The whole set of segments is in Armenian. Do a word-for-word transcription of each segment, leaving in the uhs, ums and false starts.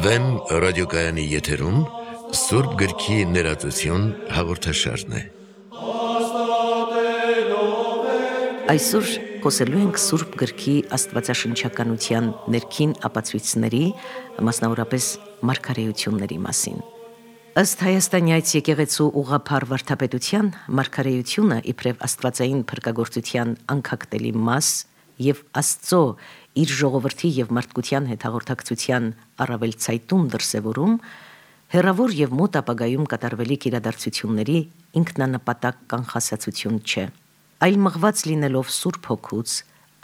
Վեմ ռադիոկայանի եթերում Սուրբ գրքի ներածություն հաղորդաշարն է։ Այսօր խոսելու ենք Սուրբ գրքի աստվածաշնչականության ներքին ապացույցների, մասնավորապես մարգարեությունների մասին։ Ըստ Հայաստանյաց եկեղեցու ուղղափառ վարդապետության, մարգարեությունը իբրև աստվածային փրկagorցության անկախտելի մաս եւ Աստծո իր ժողովրդի եւ մարդկության հետ հաղորդակցության առավել ցայտուն դրսևորում, հեռավոր եւ մոտ ապագայում կատարվելիք իրադարձությունների ինքնանպատակ կանխասացություն չէ, այլ մղված լինելով Սուրբ Հոգուց,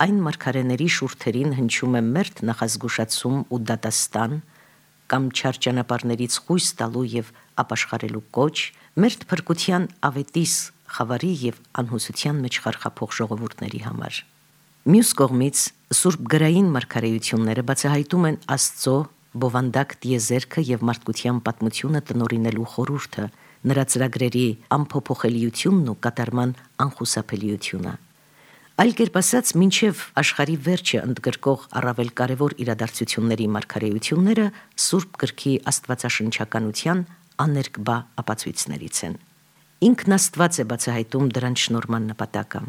այն մարգարեների շուրթերին հնչում է մերթ նախազգուշացում ու դատաստան, կամ չար ճանապարհներից խույս տալու եւ ապաշխարելու կոչ, մերթ փրկության ավետիս, խավարի եւ անհուսության մեջ խարխափող ժողովուրդների համար։ Մյուս կողմից Սուրբ գրային մարգարեությունները բացահայտում են Աստծո բովանդակ տիեզերքը եւ մարդկության պատմությունը տնօրինելու խորհուրդը, նրա ծրագրերի անփոփոխելիությունն ու կատարման անխուսափելիությունը։ Այլ կերպ ասած, մինչև աշխարհի վերջը ընդգրկող առավել կարևոր իրադարձությունների մարգարեությունները Սուրբ գրքի աստվածաշնչականության աներկբա ապացույցներից են։ Ինքն Աստված է բացահայտում դրանց շնորհման նպատակը։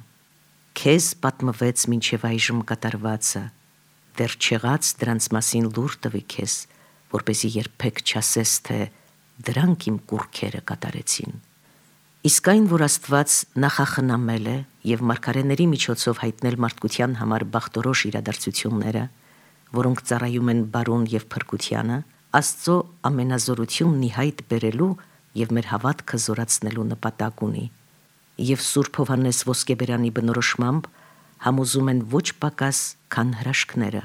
Քեզ պատմվեց մինչև այժմ կատարվածը, դեռ չեղած դրանց մասին լուր տվի քեզ, որպեսզի երբեք չասես, թե դրանք իմ կուռքերը կատարեցին։ Իսկ այն, որ Աստված նախախնամել է եւ մարգարեների միջոցով հայտնել մարդկության համար բախտորոշ իրադարձությունները, որոնք ծառայում են բարուն եւ փրկությանը, Աստծո ամենազորությունն ի հայտ բերելու եւ մեր հավատքը զորացնելու նպատակ ունի, եւ Սուրբ Հովհաննես Ոսկեբերանի բնորոշմամբ համոզում են ոչ պակաս, քան հրաշքները։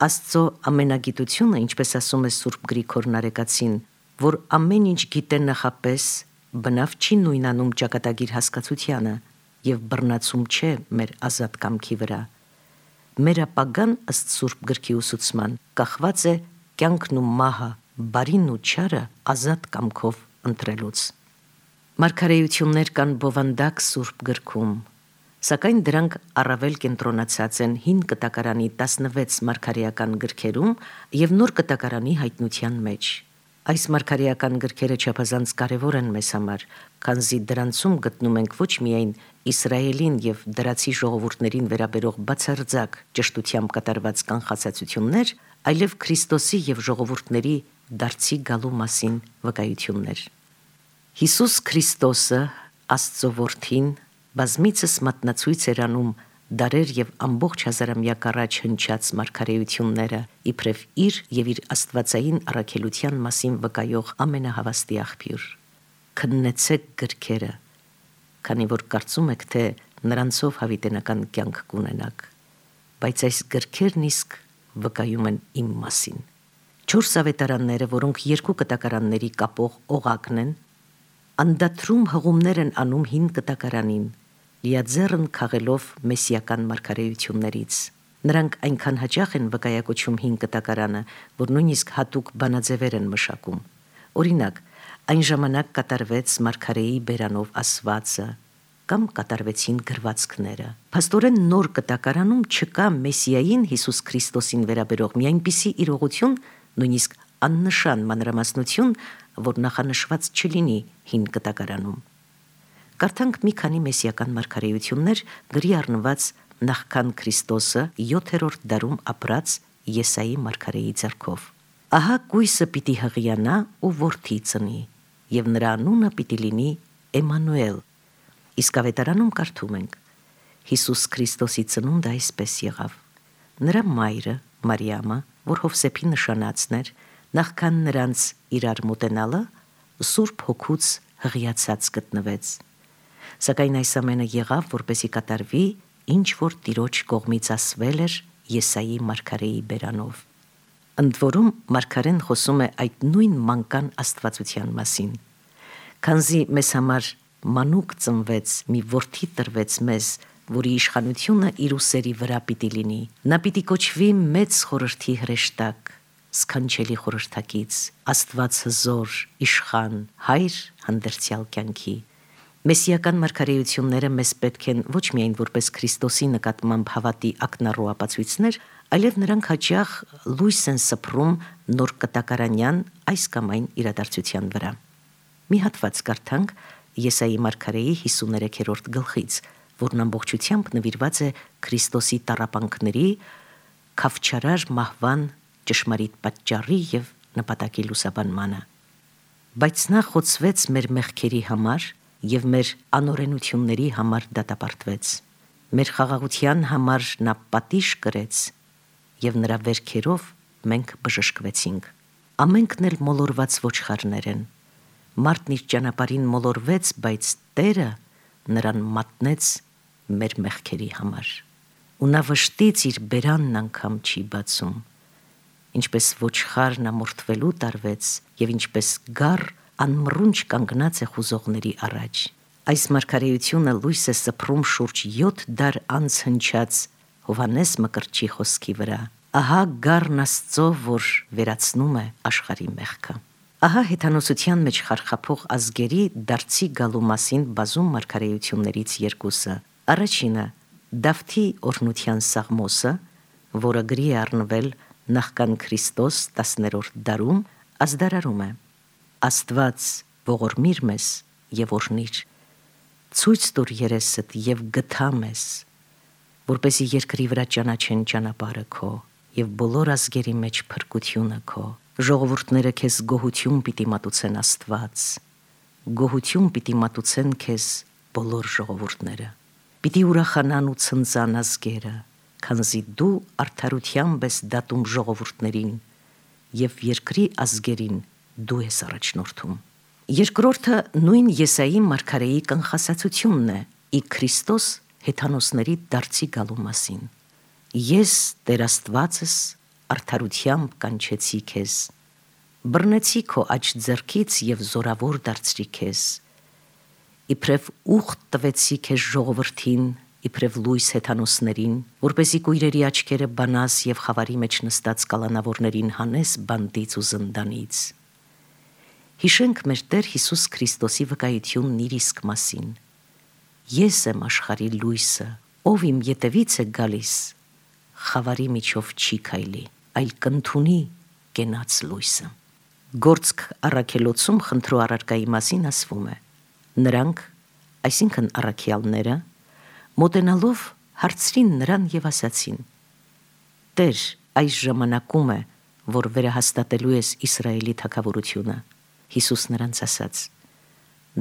Աստծո ամենագիտությունը, ինչպես ասում է Սուրբ Գրիգոր Նարեկացին, որ ամեն ինչ գիտե նախապես, բնավ չի նույնանում ճակատագիր հասկացությանը եւ բռնացում չէ մեր ազատ կամքի վրա։ Մեր ապագան ըստ Սուրբ գրքի ուսուցման կախված է կյանքն ու մահը, բարին ու չարը ազատ կամքով ընտրելուց։ Մարգարեություններ կան բովանդակ Սուրբ գրքում, սակայն դրանք առավել կենտրոնացած են հին կտակարանի տասնվեց մարգարեական գրքերում եւ նոր կտակարանի հայտնության մեջ։ Այս մարգարեական գրքերը չափազանց կարևոր են մեզ համար, քանզի դրանցում գտնում ենք ոչ միայն Իսրայելին եւ դրացի ժողովուրդներին վերաբերող բացարձակ ճշտությամբ կատարված կանխասացություններ, այլև Քրիստոսի եւ ժողովուրդների դարձի գալու մասին վկայություններ։ Հիսուս Քրիստոսը, Աստծո որդին, բազմիցս մատնացույց էր անում դարեր եւ ամբողջ հազարամյակ առաջ հնչած մարգարեությունները, իբրև իր եւ իր աստվածային առաքելության մասին վկայող ամենահավաստի աղբյուր։ Քննեցեք գրքերը, քանի որ կարծում եք, թե նրանցով հավիտենական կյանք կունենաք, բայց այս գրքերն իսկ վկայում են իմ մասին։ Չորս ավետարանները, որոնք երկու կտակարանների կապող օղակն են, անդադրում հղումներ են անում հին կտակարանին, լիաձեռն քաղելով մեսիական մարգարեություններից։ Նրանք այնքան հաճախ են վկայակոչում հին կտակարանը, որ նույնիսկ հատուկ բանաձևեր են մշակում։ Օրինակ, այն ժամանակ կատարվեց մարգարեի բերանով ասվածը, կամ կատարվեցին գրվածքները։ Փաստորեն նոր կտակարանում չկա Մեսիային Հիսուս Քրիստոսին վերաբերող մի այնպիսի իրողություն, նույնիսկ աննշան մանրամասնություն, որ նախանշված չլինի հին կտակարանում։ Կարդանք մի քանի մեսիական մարգարեություններ գրի առնված նախքան Քրիստոսը յոթերորդ դարում ապրած Եսայի մարգարեի ձեռքով։ Ահա կույսը պիտի հղիանա ու որդի ծնի, եւ նրա անունը պիտի լինի Էմանուել։ Իսկ ավետարանում կարդում ենք. Հիսուս Քրիստոսի ծնունդը այսպես եղավ. նրա մայրը Մարիամը, որ Հովսեփի նշանածն էր, նախքան նրանց իրար մոտենալը, Սուրբ Հոգուց հղիացած գտնվեց։ Սակայն այս ամենը եղավ, որպեսզի կատարվի, ինչ որ Տիրոջ կողմից ասվել էր Եսայի մարգարեի բերանով։ Ընդ որում մարգարեն խոսում է այդ նույն մանկան աստվածության մասին։ Քանզի մեզ համար մանուկ ծնվեց, մի որդի տրվեց մեզ, որի իշխանությունը իր ուսերի վրա պիտի լինի։ Նա պիտի կոչվի մեծ խորհրդի հրեշտակ, սքանչելի խորհրդակից, Աստված հզոր, իշխան, հայր հանդերձյալ կյանքի։ Մեսիական մարգարեությունները մեզ պետք են ոչ միայն որպես Քրիստոսի նկատմամբ հավատի ակնառու ապացույցներ, այլև նրանք հաճախ լույս են սփռում նոր կտակարանյան այս կամ այն իրադարձության վրա։ Մի հատված կարդանք Եսայի մարգարեի հիսուներեքերորդ գլխից, որն ամբողջությամբ նվիրված է Քրիստոսի տառապանքների, քավչարար մահվան ճշմարիտ պատճառի եւ նպատակի լուսաբանմանը։ Բայց նա խոցվեց մեր մեղքերի համար եւ մեր անօրենությունների համար դատապարտվեց։ Մեր խաղաղության համար նա պատիժ կրեց եւ նրա վերքերով մենք բժշկվեցինք։ Ամենքն էլ մոլորված ոչխարներ են։ Մարդն իր ճանապարհին մոլորվեց, բայց Տերը նրան մատնեց մեր մեղքերի համար։ Ու նա վշտից իր բերանն անգամ չի բացում։ Ինչպես ոչխարն ամորթվելու տարվեց եւ ինչպես գառ անմռունչ կանգնած է խուզողների առաջ։ Այս մարգարեությունը լույս է սփռում շուրջ յոթ դար անց հնչած Հովհաննես Մկրտչի խոսքի վրա։ Ահա գառն Աստծո, որ վերացնում է աշխարհի մեղքը։ Ահա հեթանոսության մեջ խարխափող ազգերի դարձի գալու մասին բազում մարգարեություններից երկուսը։ Առաջինը Դավթի օրհնության Սաղմոսը, որը գրի է առնվել նախքան Քրիստոս տասներորդ դարում, ազդարարում է. Աստված ողորմիր մեզ եւ օրհնիր, ցույց տուր երեսդ եւ գթա մեզ, որպեսզի երկրի վրա ճանաչեն ճանապարհը քո եւ բոլոր ազգերի մեջ փրկությունը քո։ Ժողովուրդները քեզ գոհություն պիտի մատուցեն, Աստված, գոհություն պիտի մատուցեն քեզ բոլոր ժողովուրդները։ Պիտի ուրախանան ու ցնծան ազգերը, քանզի դու արդարությամբ ես դատում ժողովուրդներին եւ երկրի ազգերին դու ես առաջնորդում։ Երկրորդը նույն Եսայի մարգարեի կանխասացությունն է ի Քրիստոս հեթանոսների դարձի գալու մասին։ Ես Տեր Աստվածս արդարությամբ կանչեցի քեզ, բռնեցի քո աջ ձեռքից եւ զորավոր դարձրի քեզ, իբրև ուխտ տվեցի քեզ ժողովրդին, իբրև լույս հեթանոսներին, որպեսզի կույրերի աչքերը բանաս եւ խավարի մեջ նստած կալանավորներին հանես բանդից ու զնդանից։ Հիշենք մեր Տեր Հիսուս Քրիստոսի վկայությունն իր իսկ մասին։ Ես եմ աշխարհի լույսը, ով իմ ետևից է գալիս, խավարի միջով չի քայլի, այլ կընդունի կենաց լույսը։ Գործք առաքելոցում խնդրու առարկայի մասին ասվում է. նրանք, այսինքն առաքյալները, մոտենալով հարցրին նրան եւ ասացին. Տեր, այս ժամանակում է, որ վերահաստատելու ես Իսրայելի թագավորությունը։ Հիսուս նրանց ասաց.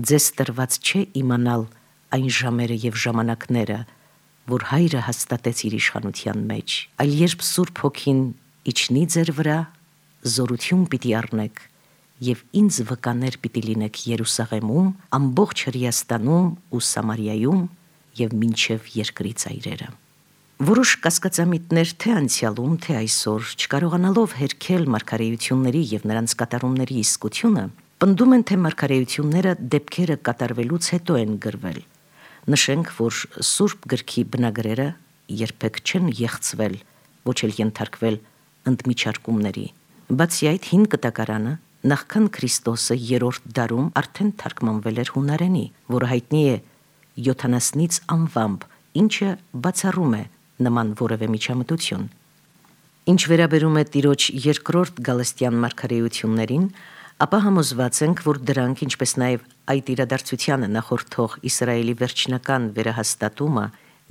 ձեզ տրված չէ իմանալ այն ժամերը եւ ժամանակները, որ Հայրը հաստատեց իր իշխանության մեջ, այլ երբ Սուրբ Հոգին իջնի ձեր վրա, զորություն պիտի առնեք եւ ինձ վկաներ պիտի լինեք Երուսաղեմում, ամբողջ Հրեաստանում ու Սամարիայում եւ մինչեւ երկրի ծայրերը։ Որոշ կասկածամիտներ թե անցյալում, թե այսօր, չկարողանալով հերքել մարգարեությունների եւ նրանց կատարումների իսկությունը, պնդում են, թե մարգարեությունները դեպքերը կատարվելուց հետո են գրվել։ Նշենք, որ Սուրբ գրքի բնագրերը երբեք չեն եղծվել, ոչ էլ ենթարկվել ընդմիջարկումների։ Բացի այդ, հին կտակարանը նախքան Քրիստոսը երրորդ դարում արդեն թարգմանվել էր հունարենի, որը հայտնի է յոթանասնից անվամբ, ինչը բացառում է նման որևէ միջամտություն։ Ինչ վերաբերում է Տիրոջ երկրորդ գալստյան մարգարեություններին, ապա համոզված ենք, որ դրանք, ինչպես նաև այդ իրադարձությանը նախորդող Իսրայելի վերջնական վերահաստատումը,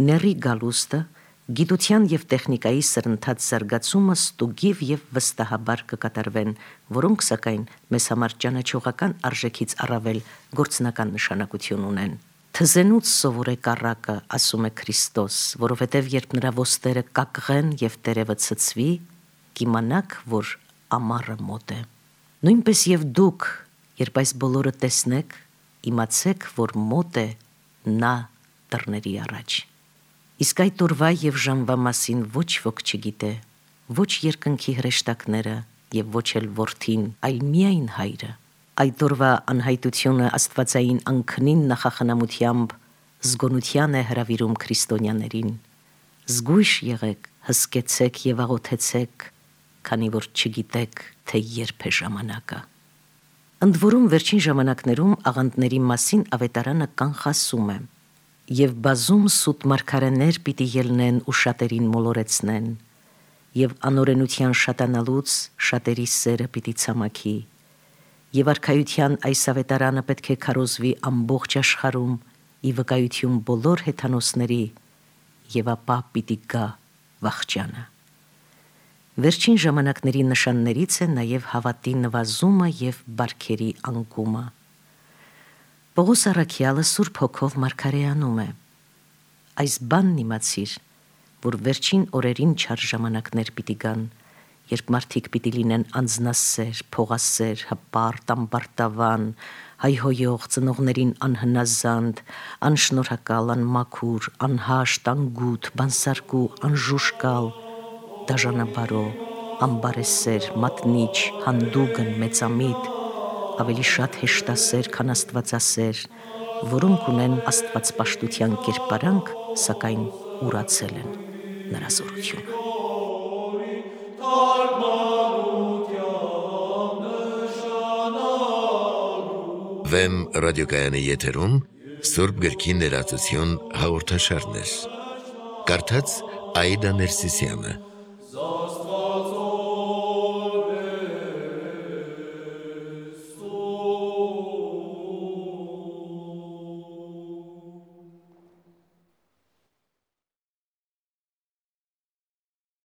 ների գալուստը, գիտության եւ տեխնիկայի սրընթաց զարգացումը ստուգիվ եւ վստահաբար կկատարվեն, որոնք սակայն մեզ համար ճանաչողական արժեքից առավել գործնական նշանակություն ունեն։ Թզենուց սովորեք առակը, ասում է Քրիստոս, որովհետև երբ նրա ոստերը կակղեն եւ տերևը ցցվի, կիմանաք, որ ամառը մոտ է։ Նույնպես եւ դուք, երբ այս բոլորը տեսնեք, իմացեք, որ մոտ է նա դռների առաջ։ Իսկ այդ օրվա եւ ժամվա մասին ոչ ոք չգիտե, ոչ երկնքի հրեշտակները եւ ոչ էլ որդին, այլ միայն Հայրը։ Այդ օրվա անհայտությունը աստվածային անքնին նախախնամությամբ զգոնության է հրավիրում քրիստոնյաներին։ Զգույշ եղեք, հսկեցեք եւ աղոթեցեք, քանի որ չգիտեք, թե երբ է ժամանակը։ Ընդ որում վերջին ժամանակներում աղանդների մասին ավետարանը կանխասում է. «Եվ բազում սուտ մարգարեներ պիտի ելնեն ու շատերին մոլորեցնեն, և անօրենության շատանալուց շատերի սերը պիտի ցամաքի, և արքայության այս ավետարանը պետք է քարոզվի ամբողջ աշխարհում ի վկայություն բոլոր հեթանոսների, և ապա պիտի գա վախճանը»։ Վերջին ժամանակների նշաններից է նաև հավատի նվազումը և բարքերի անկումը։ Պողոս առաքյալը Սուրբ Հոգով մարգարեանում է. «Այս բանն իմացիր, որ վերջին օրերին չար ժամանակներ պիտի գան, երբ մարդիկ պիտի լինեն անձնասեր, փողասեր, հպարտ, ամբարտավան, հայհոյող, ծնողներին անհնազանդ, անշնորհակալ, անմաքուր, անհաշտ, անգութ, բանսարկու, անժուժկալ, դաժանաբարո, ամբարեսեր, մատնիչ, հանդուգն, մեծամիտ, ավելի շատ հեշտասեր, քան աստվածասեր, որոնք ունեն աստվածպաշտության կերպարանք, սակայն ուրացել են նրա զորությունը»։ Վեմ ռադիոկայանի եթերում Սուրբ գրքի ներածություն հաղորդաշարներ։ Կարդաց Աիդա Ներսիսյանը։